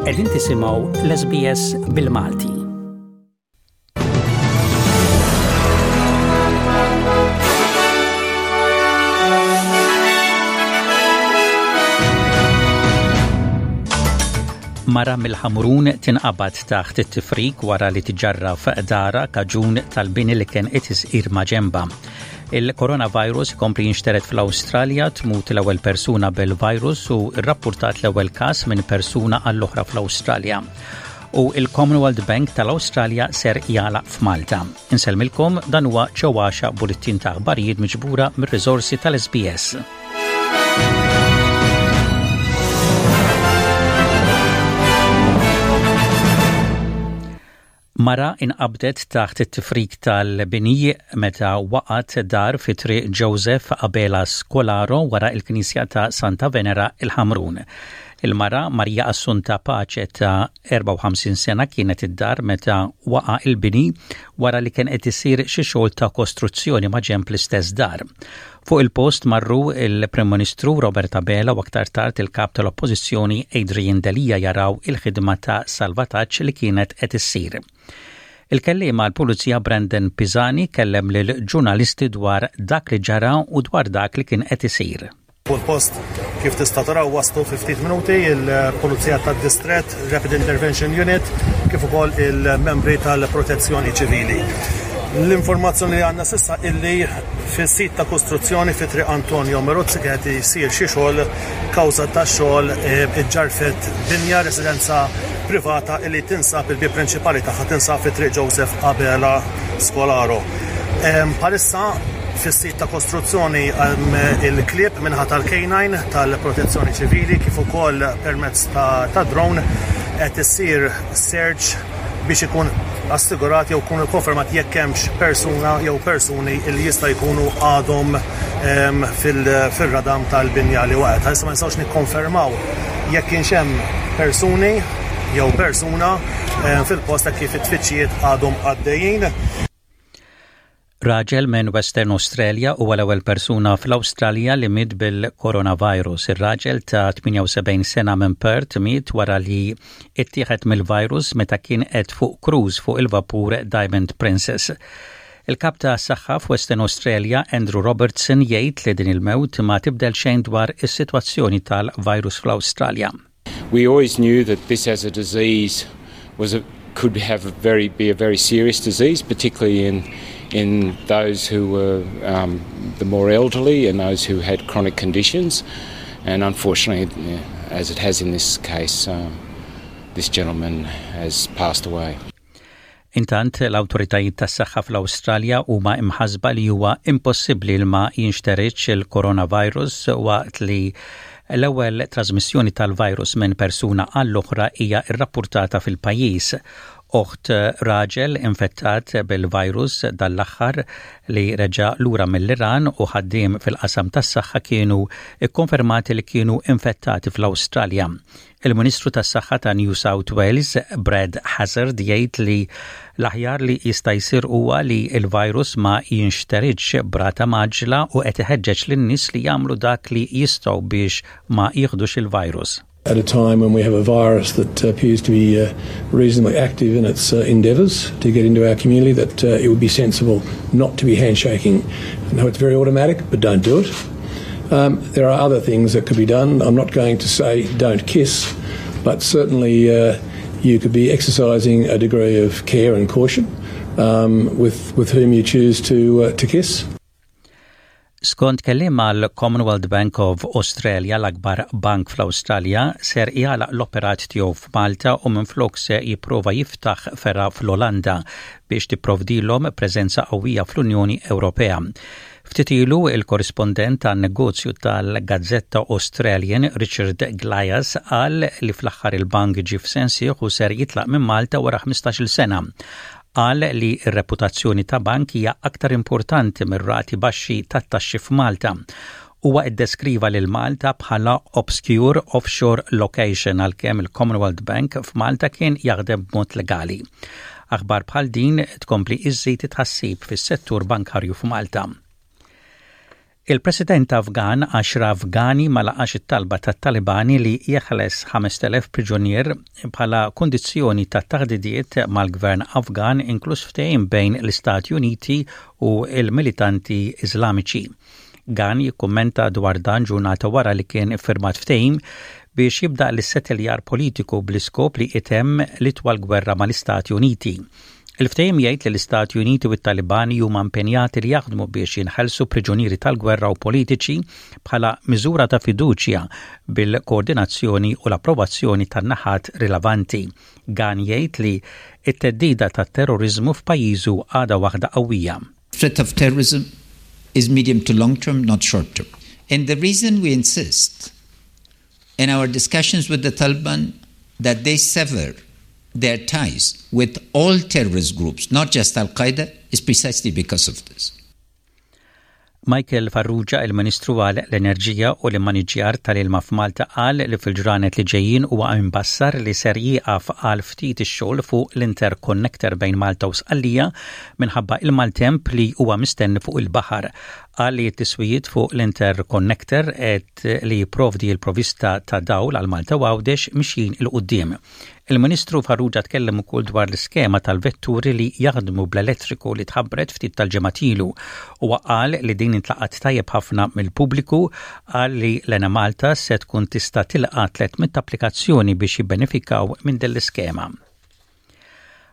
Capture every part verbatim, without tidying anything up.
Qegħdin tisimgħu l-S B S bil-Malti. Mara mill-Ħamrun tinqabad taħt it-tifrik wara li tiġarraf darha kaġun tal-bini li kien qed isir maġenbha. Il-coronavirus kompli jinxteret fl-Awstralja, tmut l-ewwel persuna bil-virus u rrappurtat l-ewwel każ minn persuna għall-oħra fl-Awstralja. U il-Commonwealth Bank tal-Awstralja ser jagħlaq f'Malta. Insellmilkom, dan huwa ċewwaxa bulletin ta' aħbarijiet miġbura mir-riżorsi tal-S B S. Mara inqabdet taħt it-tifrik tal-bini meta waqgħet dar fi Triq Joseph Abela Scolaro wara il-Knisja ta' Santa Venera, il-Ħamrun. Il-mara, Maria Assunta Pace ta' erbgħa u ħamsin sena, kienet id-dar meta waqa il-bini wara li kien qed isir xi xogħol ta' kostruzzjoni ma' ġenb l-istess dar. Fuq il-post marru il-Prim Ministru Robert Abela u aktar tard il-kap tal-Oppożizzjoni Adrian Delia jaraw il-ħidma ta' salvataġġ li kienet qed issir. Il-kelliem għall-Pulizija Brandon Pisani kellem lil ġurnalisti dwar dak li ġara u dwar dak li kien qed isir. Fuq il-post, kif tista' taraw, waslu fi ftit minuti il-Pulizija tad-Distrett, Rapid Intervention Unit, kif ukoll il-membri tal-Protezzjoni Ċivili. L-informazzjoni li għandna s'issa illi fis-sit ta' kostruzzjoni fi Triq Antonio Merozzi kienet jsir xi xogħol, kawża ta' xogħol iġġarfet binja, residenza privata illi tinsab, il-bieb prinċipali tagħha tinsab fi Triq Joseph Abela Scolaro. Bħalissa fis-sit ta' kostruzzjoni il-klieb min-naħa tal-K nine tal-Protezzjoni Ċivili kif ukoll permezz ta', ta drone qed issir search biex ikun assigurat jew ikun konfermat jekk hemmx persuna jew persuni li jista' jkunu għadhom fil-radam tal-binja li waqgħet. Issa ma nistgħux nikkonfermaw jekk kienx hemm persuni jew persuna fil-post kif it-tfittxijiet għadhom għaddejjin. Raġel minn Western Australia huwa l-ewwel persuna fl-Awstralja li miet bil-coronavirus. Ir-raġel ta' tmienja u sebgħin sena minn Perth miet wara li ittieħed mill-virus meta kien qed fuq cruise fuq il-vapur Diamond Princess. Il-kap ta' saħħa f'Western Australia, Andrew Robertson, jgħid li din il-mewt ma tibdel xejn dwar is-sitwazzjoni tal-virus fl-Awstralja. We always knew that this as a disease was a, could have a very be a very serious disease, particularly in in those who were um, the more elderly and those who had chronic conditions. And unfortunately, as it has in this case, um, this gentleman has passed away. Intant, l-awtoritajiet tas-saħħa fl-Awstralja huma imħasba li huwa impossibbli li ma jinxteridx il-coronavirus waqt li l-ewwel trasmissjoni tal-virus minn persuna għall-oħra hija rrappurtata fil-pajjiż. Oħt raġel infettat bil-virus dal-aħħar li reġa lura mill-Iran u ħaddiem fil-qasam tas-saħħa kienu ikkonfermati li kienu infettati fl-Awstralja. Il-Ministru tas-Saħħa ta' New South Wales, Brad Hazzard, jgħid li l-aħjar li jista' jsir huwa li l-virus ma jinxteridx b'rata mgħaġġla u qed iħeġġeġ lin-nies li jagħmlu dak li jistgħu biex ma jieħdux il-virus. At a time when we have a virus that appears to be uh, reasonably active in its uh, endeavours to get into our community, that uh, it would be sensible not to be handshaking. I know it's very automatic, but don't do it. Um, there are other things that could be done. I'm not going to say don't kiss, but certainly uh, you could be exercising a degree of care and caution um, with, with whom you choose to, uh, to kiss. Skont kelliem għall-Commonwealth Bank of Australia, l-akbar bank fl-Awstralja, ser jagħlaq l-operat tiegħu f'Malta u minflok se jipprova jiftaħ fergħa fl-Olanda biex tipprovdilhom preżenza qawwija fl-Unjoni Ewropea. Ftit ilu il-korrispondent tan-negozju tal-Gazzetta Australian, Richard Gluyas, qal li fl-aħħar il-bank ġie f'sensih u ser jitlaq minn Malta wara ħmistax-il sena. Qal li r-reputazzjoni ta' bank hija aktar importanti mir-rati baxxi tat-taxxi f'Malta. Huwa iddeskriva lil Malta bħala obscure offshore location, għalkemm il-Commonwealth Bank f'Malta kien jaħdem b'mod legali. Aħbar bħal din tkompli iżżid tħassib fis-settur bankarju f'Malta. Il-President Afgan Ashraf Ghani ma laqax it-talba tat-Talibani li jeħles ħamest elef priġunier bħala kondizzjoni ta' taħdidiet mal-Gvern Afgan, inkluż ftehim bejn l-Istati Uniti u il-militanti Iżlamiċi. Ghani jikkummenta dwar dan ġurnata wara li kien iffirmat ftehim biex jibda l-issetteljar politiku bl-iskop li itemm l-itwal gwerra mal-Istati Uniti. Il-ftehim jgħid li l-Istati Uniti u t-Talibani huma impenjati li jaħdmu biex jinħelsu priġunieri tal-gwerra u politiċi bħala miżura ta' fiduċja bil-koordinazzjoni u l-approvazzjoni tan-naħat rilevanti. Ghani jgħid li it-theddida tat-terrorizmu f'pajjiżu għadha waħda qawwija. Threat of terrorism is medium to long term, not short term. And the reason we insist in our discussions with the Taliban that they sever their ties with all terrorist groups, not just Al Qaeda, is precisely because of this. Michael Farrugia, il-Ministru għal l-Enerġija u l-Immaniġjar tal-Ilma f'Malta, qal li fil-ġranet li ġejjin huwa imbassar li ser jieqaf għal ftit ix-xogħol fuq l-interconnector bejn Malta u Sqallija minħabba il-maltemp li huwa mistenni fuq il-baħar. Qal li t-tiswijiet fuq l-interconnector et li jipprovdi l-provista ta' dawl għal Malta u Għawdex mixjin 'il quddiem. Il-Ministru Farrugia tkellem ukoll dwar l-iskema tal-vetturi li jaħdmu bl-elettriku li tħabbret ftit tal-ġimgħat ilu u qal li din intlaqat tajjeb ħafna mill-pubbliku. Qal li l-Enemalta se tkun tista' tilqa' tliet mitt applikazzjoni biex jibbenefikaw minn din l-iskema.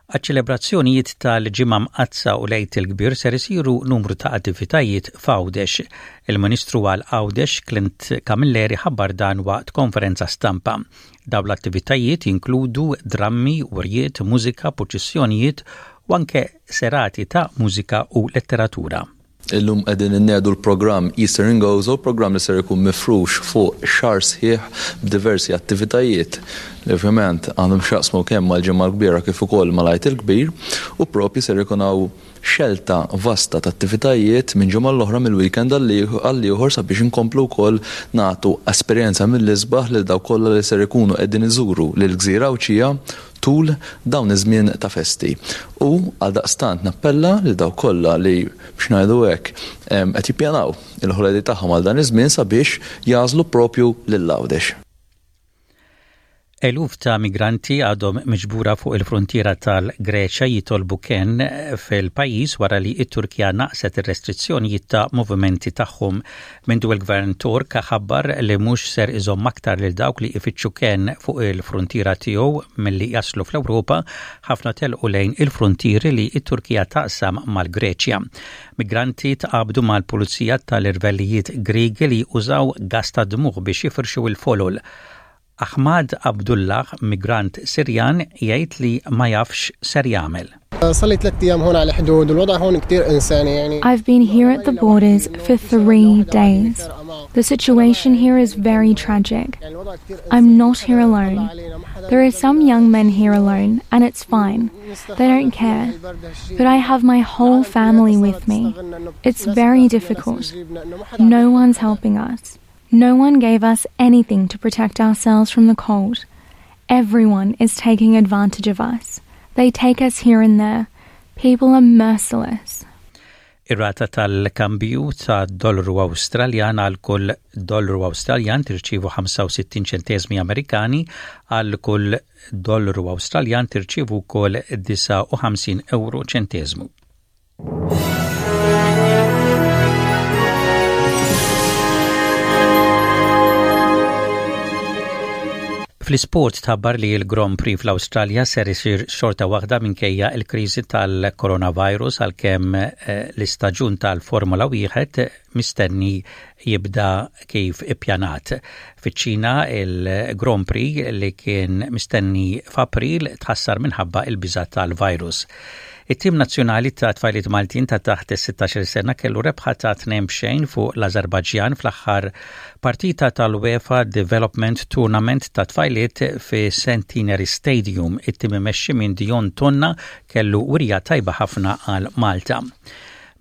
Għaċ-ċelebrazzjonijiet tal-Ġimgħa Mqaddsa u l-Għid il-Kbir ser isiru numru ta' attivitajiet f'Għawdex. Il-Ministru għal Għawdex Clint Camilleri ħabbar dan waqt konferenza stampa. Dawn l-attivitajiet jinkludu drammi, wirjiet, mużika, purċissjonijiet u anke serati ta' mużika u letteratura. Illum qegħdin innedu l-programm Easter in Gozo, programm li ser ikun mifrux fuq xahar sħiħ b'diversi attivitajiet li ovvjament għandhom x'jaqsmu kemm mal-Ġimgħa l-Kbira kif ukoll mal-Għid il-Kbir, u propju ser ikun hawn xelta vasta ta' attivitajiet minn ġimgħa l-oħra, mill-weekend għall-ieħor, sabiex inkomplu wkoll nagħtu esperjenza mill-isbaħ lil dawk kollha li ser ikunu qegħdin iżuru lil gżira Għawdxija tul dawn iż-żmien ta' festi. U għaldaqstant nappella li dawk kollha li, biex ngħidu hekk, qed jippjanaw il-holiday tagħhom għal dan iż-żmien sabiex jagħżlu propju lil Għawdex. Eluf ta' migranti għadhom miġbura fuq il-frontiera tal-Greċja jitolbu ken fil-pajjiż wara li it-Turkija naqset ir-restrizzjonijiet ta' movimenti tagħhom. Mindu il-gvern Tork ħabbar li mhux ser iżomm aktar lil dawk li ifittxu ken fuq il-frontiera tiegħu milli jaslu fl-Ewropa, ħafna telqu lejn il-frontieri li it-Turkija taqsam mal-Greċja. Migranti tqabdu mal-pulizija tal-irvellijiet Griegi li użaw gas ta' dmugħ biex jifirxu il-folol. Ahmad Abdullah, migrant Sirjan, jgħid li ma jafx x'ser jagħmel. I've been here at the borders for three days. The situation here is very tragic. I'm not here alone. There are some young men here alone, and it's fine. They don't care. But I have my whole family with me. It's very difficult. No one's helping us. No one gave us anything to protect ourselves from the cold. Everyone is taking advantage of us. They take us here and there. People are merciless. Ir-rata tal-kambju ta' dollaru Awstraljan: għal kull dollaru Awstraljan tirċivu ħamsa u sittin ċentesmi Amerikani, għal kull dollaru Awstraljan tirċivu wkoll disgħa u ħamsin euro ċentesmu. Fl-isport tħabbar li l-Grand Prix fl-Awstralja ser isir xorta waħda minkejja il-kriżi tal-coronavirus, għalkemm eh, l-istaġun tal-Formula wieħed mistenni jibda kif ippjanat. Fiċ-Ċina, il-Grand Prix li kien mistenni f'April tħassar minħabba il-biża tal-virus. It-tim nazzjonali ta' tfajliet Maltin ta' taħt is-sittax-il sena kellu rebħa ta' tnejn b'xejn fuq l-Azerbajġjan fl-aħħar partita tal-UEFA Development Tournament ta' tfajliet fi Centenary Stadium. It-tim imexxi minn Dion Tonna kellu wirja tajba ħafna għal Malta.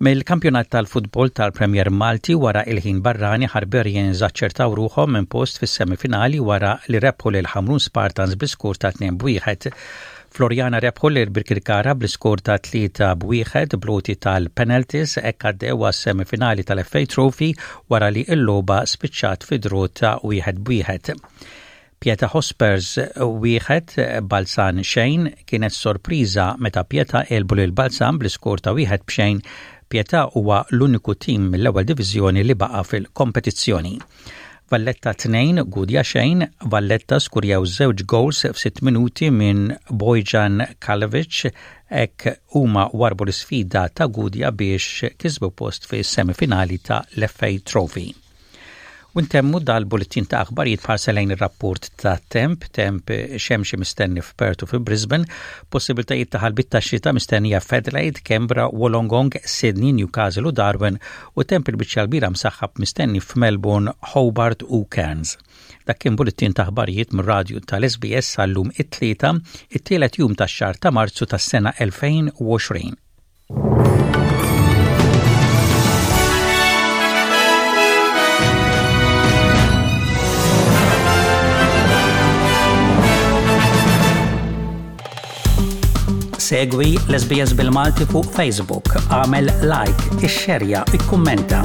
Mill-kampjonat tal-futbol tal-Premier Malti, wara il-ħin barrani, Hibernians aċċertaw ruħhom minn post fis-semifinali wara li rebħu lil Ħamrun Spartans bi skur ta' tnejn b'wieħed. Floriana rebħu lil Birkirkara bl-iskor ta' tlieta b'wieħed bl-għoti tal-penalties, hekk għaddew semifinali tal-F A Trophy wara li l-logħba spiċċat fi draw ta' wieħed b'wieħed. Pieta Hotspurs wieħed, Balzan xejn. Kienet sorpriża meta Pieta għelbu lil Balzan bl-iskor ta' wieħed b'xejn. Pieta huwa l-uniku tim mill-ewwel diviżjoni li baqa' fil-kompetizzjoni. Valletta tnejn, Gudja xejn. Valletta skurjaw żewġ goals f'sitt minuti minn Bojjan Kalovic, hekk huma warbu l-isfida ta' Gudja biex kisbu post fi semifinali ta' l-F A Trophy. U ntemmu dal-bulletin ta' aħbarijiet b'ħarsa lejn ir-rapport ta' temp, temp xemxi mistenni f'Perth u fi Brisbane, possibiltajiet ta' ħalbit ta' xita mistennija f'Adelaide, Canberra, Wollongong, Sydney, Newcastle u Darwin, u temp il-biċċa l-kbira msaħħab mistenni f'Melbourne, Hobart u Cairns. Dak kien bulletin ta' aħbarijiet mir-radju tal-S B S għal-lum it-Tlieta, it-tielet jum tax-xahar ta' Marzu tas-sena elfejn u għoxrin. Segwi l-S B S bil-Malti fuq Facebook, għamel like, ixxerja, ikkummenta.